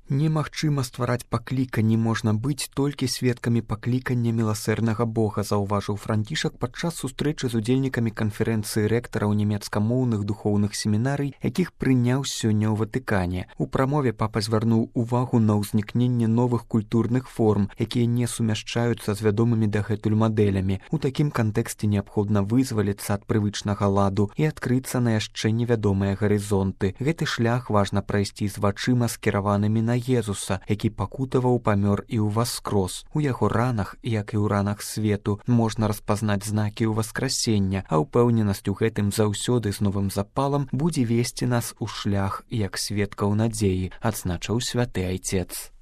Немагчыма ствараць пакліканні, можна быць толькі сведкамі паклікання міласэрнага Бога, заўважыў Францішак падчас сустрэчы з удзельнікамі канферэнцыі рэктараў нямецкамоўных духоўных семінарый, якіх прыняў сёння ў Ватыкане. У прамове папа звярнуў увагу на ўзнікненне новых культурных форм, якія не сумяшчаюцца з вядомымі дагэтуль мадэлямі. У такім кантэксце неабходна вызваліцца ад прывычнага ладу і адкрыцца на яшчэ невядомыя гарызонты. Гэты шлях важна прайсці з вачыма, скіраванымі на Езуса, які пакутаваў, памёр і ўваскрос. У яго ранах, як і ў ранах свету, можна распазнаць знакі ўваскрасення, а ўпэўненасць у гэтым заўсёды з новым запалам будзе весці нас у шлях як сведкаў надзеі, адзначыў святы айцец.